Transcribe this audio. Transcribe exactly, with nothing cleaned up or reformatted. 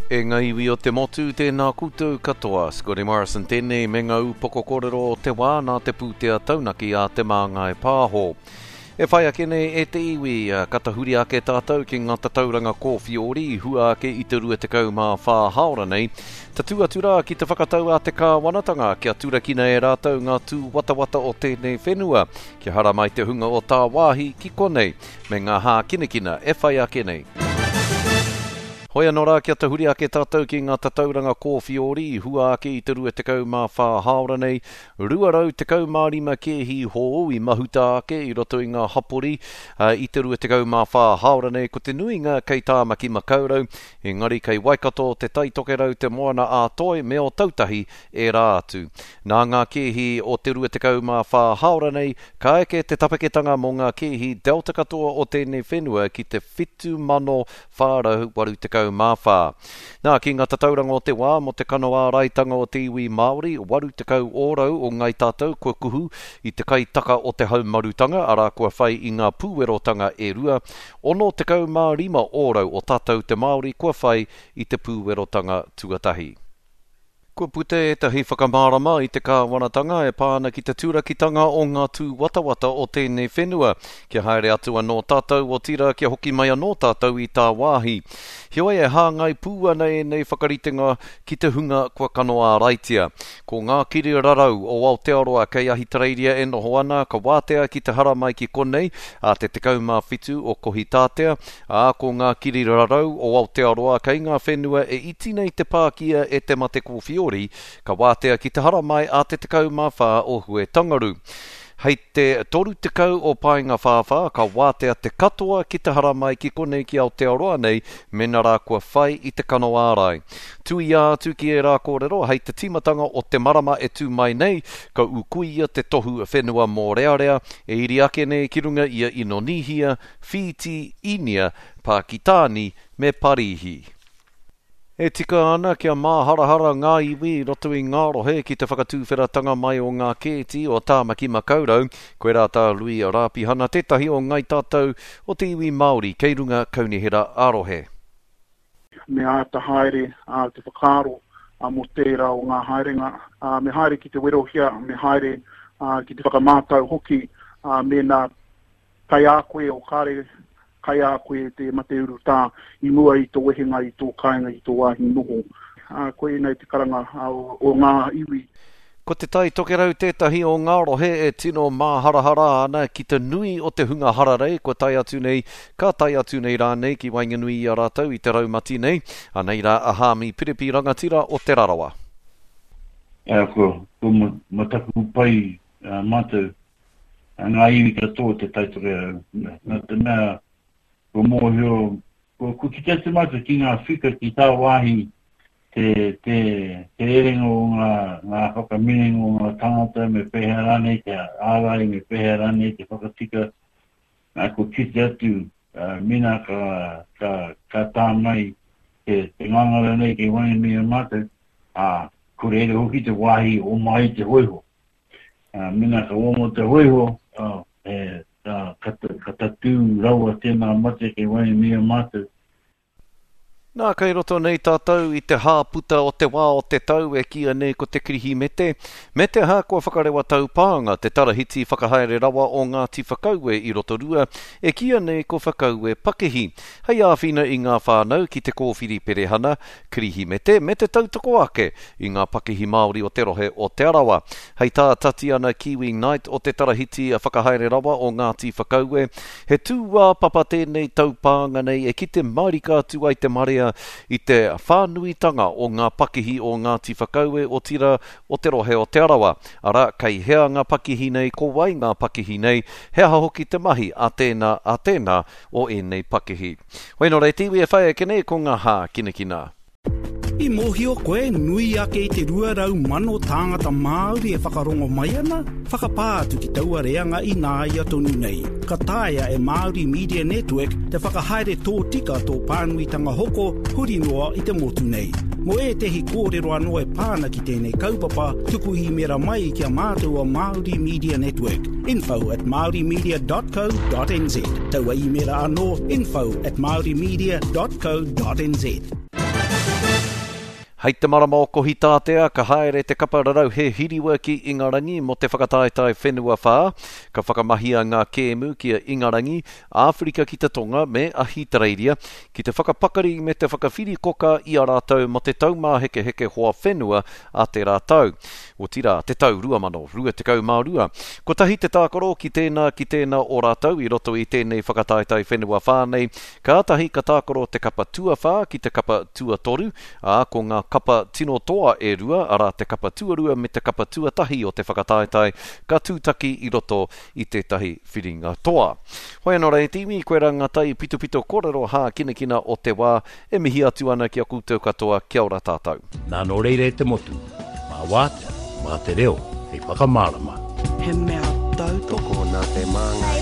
E ngā iwi o te motu, tēnā koutou katoa. Scotty Morrison tēnei me ngā upoko kōrero o te wā nā te pūtea taunaki a Te Māngai Pāho. E whai ake nei e te iwi, ka tahuri ake tātou ki ngā tatauranga kōwhiori i hua ake i te rua tekau mā whā hāora nei. Tatū atu rā ki te whakatau a te kāwanatanga kia turakina e rātou ngā tūwatawata o tēnei whenua, kia haramai te hunga o tāwāhi ki konei, me ngā hākinakina e whai ake nei. Hoi anō rā kia tahuri ake tātou ki ngā tatauranga kōwhiori i hua ake i te rua tekau mā whā hāora nei, rua rau tekau mā rima kēhi hou i mahuta ake i roto i ngā hapori i te rua tekau mā whā hāora nei, ko te nuinga kei Tāmaki Makaurau, engari kei Waikato, Te Tai Tokerau, Te Moana ā-Toi me Ōtautahi ērā atu. Nā ngā kēhi o te rua tekau mā whā hāora nei, ka eke te tapeketanga mō ngā kēhi Delta katoa o tēnei whenua ki te whitu mano whā rau waru tekau mā whā. Nā, ki ngā tatauranga o te wā mō te kano āraitanga o te iwi Māori, waru tekau ōrau o ngai tātou kua kuhu i te kaitaka o te haumarutanga, arā kua whai i ngā pūwerotanga e rua, ono tekau mā rima ōrau o tātou te Māori kua whai i te pūwerotanga tuatahi. Kua puta ētahi whakamārama i te kāwanatanga e pā ana ki te turakitanga o ngā tūwatawata o tēnei whenua, kia haere atu anō tātou otirā kia hoki mai anō tātou i tāwāhi. Heoi e hāngai pū ana ēnei whakaritenga ki te hunga kua kano āraitia. Ko ngā kiri rarau o Aotearoa kei Ahitereiria e noho ana, ka wātea ki te haramai ki konei a te tekau mā whitu o Kohitātea, ā, ko ngā kiri rarau o Aotearoa kei ngā whenua e iti nei te pākia e te mate kōwhiori, ka wātea ki te haramai a te tekau mā whā o Huetangaru. Hei te toru tekau o Paenga Whāwhā, ka wātea te katoa ki te haramai ki konei ki Aotearoa nei, mena rā kua whai i te kano ārai. Tuia atu ki ērā kōrero, hei te tīmatanga o te marama e tū mai nei, ka ukuia te tohu whenua mōrearea, e iri ake nei ki runga ia Inonihia, Whīti, Īnia, Pākitāni me Parīhi. E tika ana kia māharahara ngā iwi i roto i ngā rohe ki te whakatūwheratanga mai o ngā kēti o Tāmaki Makaurau, koirā tā Lui Rāpihana tētahi o ngai tātou o te iwi Māori kei runga kaunihera ā-rohe. Me āta haere a, te whakaaro a, mō tērā o ngā haerenga, a, me haere ki te werohia, me haere a, ki te whakamātau hoki, a, mēnā kai a koe o kare kai a koe te mate urutā i mua i tō wehenga i tō kāinga i tō wāhi noho. A, koe nei te karanga a, o, o ngā iwi. Ko Te Tai Tokerau tētahi o ngā rohe e tino māharahara ana ki te nui o te hunga hararei kua tae atu nei, ka tae atu nei rānei ki waenganui i a rātou i te raumati nei, anei rā a Hāmi Piripi rangatira o Te Rarawa. Ā, ko, ko mataku pai uh, mātou, ngā iwi katoa o Te Tai Tokerau. Nā te mea, ko mōhio, ko, ko kite atu mātou ki ngā whika ki tā wāhi te, te, te rerenga o ngā, ngā whakaminenga o ngā tangata, me pēhea rānei te ārai, me pēhea rānei te whakatika. Nā, ko kite atu, uh, mena ka, ka, ka tā mai te, te ngangara nei kei waenganui a mātou, ā, ko reira hoki te wāhi o mai te hoiho. Uh, mena ka omo te hoiho, uh, e, uh, ka, ka tatū rawa tēnā mate kei waenganui a mātou. Nā, kei roto nei tātou i te hāputa o te wā o te tau e kīia nei ko te Kirihimete, me te aha kua whakarewa taupānga te tarahiti whakahaere rawa o Ngāti Whakaue i Rotorua, e kīia nei ko Whakaue Pakihi, hei āwhina i ngā whānau ki te kōwhiri perehana, Kirihimete, me te tautoko ake i ngā pakihi Māori o te rohe o Te Arawa. Hei tā Tatiana Kiwi Knight o te tarahiti whakahaere rawa o Ngāti Whakaue, he tūāpapa tēnei taupānga nei e kite marika atu ai te marea i te whānuitanga o ngā pakihi o Ngāti Whakaue otirā o te rohe o Te Arawa. Arā, kei hea ngā pakihi nei, ko wai ngā pakihi nei, he aha hoki te mahi a tēnā, a tēnā o ēnei pakihi. Hoi nō reira te iwi e whai ake nei ko ngā hākinakina. I mōhio koe nui ake i te rua rau mano tāngata Māori e whakarongo mai ana, whakapā atu ki taua reanga i nāia tonu nei. Ka taea e Māori Media Network te whakahaere tōtika tō pānuitanga hoko huri noa i te motu nei. Mō ētehi kōrero anō e pāna ki tēnei kaupapa, tuku īmera mai ki a mātou o Māori Media Network. Info at maorimedia dot co dot nz. Taua īmera anō, info at maorimedia dot co dot nz. Hei te marama o Kohitātea, ka haere te kapa rarauhe hiriwa ki Ingarangi mō te whakataetae whenua whā. Ka whakamahia ngā kēmu ki a Ingarangi, Āwherika ki te Tonga me Ahitereiria ki te whakapakari me te whakawhirikoka i a rātou mō te taumāhekeheke hoa whenua a tērā tau. Otirā, te tau rua mano rua tekau mā rua. Kotahi te tākaro ki tēnā ki tēnā o rātou i roto i tēnei whakataetae whenua whā nei. Kātahi ka tākaro te kapa tuawhā ki te kapa tuatoru, ā, ko ngā kapa tino toa e rua, arā te kapa tuarua me te kapa tuatahi o te whakataetae, ka tūtaki i roto i tētahi whiringa toa. Hoi anō rā e te iwi, koe rā ngā tai pitopito kōrero hākinakina o te wā, e mihi atu ana ki a koutou katoa, kia ora tātou. Nā nō reira e te motu, mā wātea, mā te reo, hei whakamārama. He mea tautoko nā te Māngai.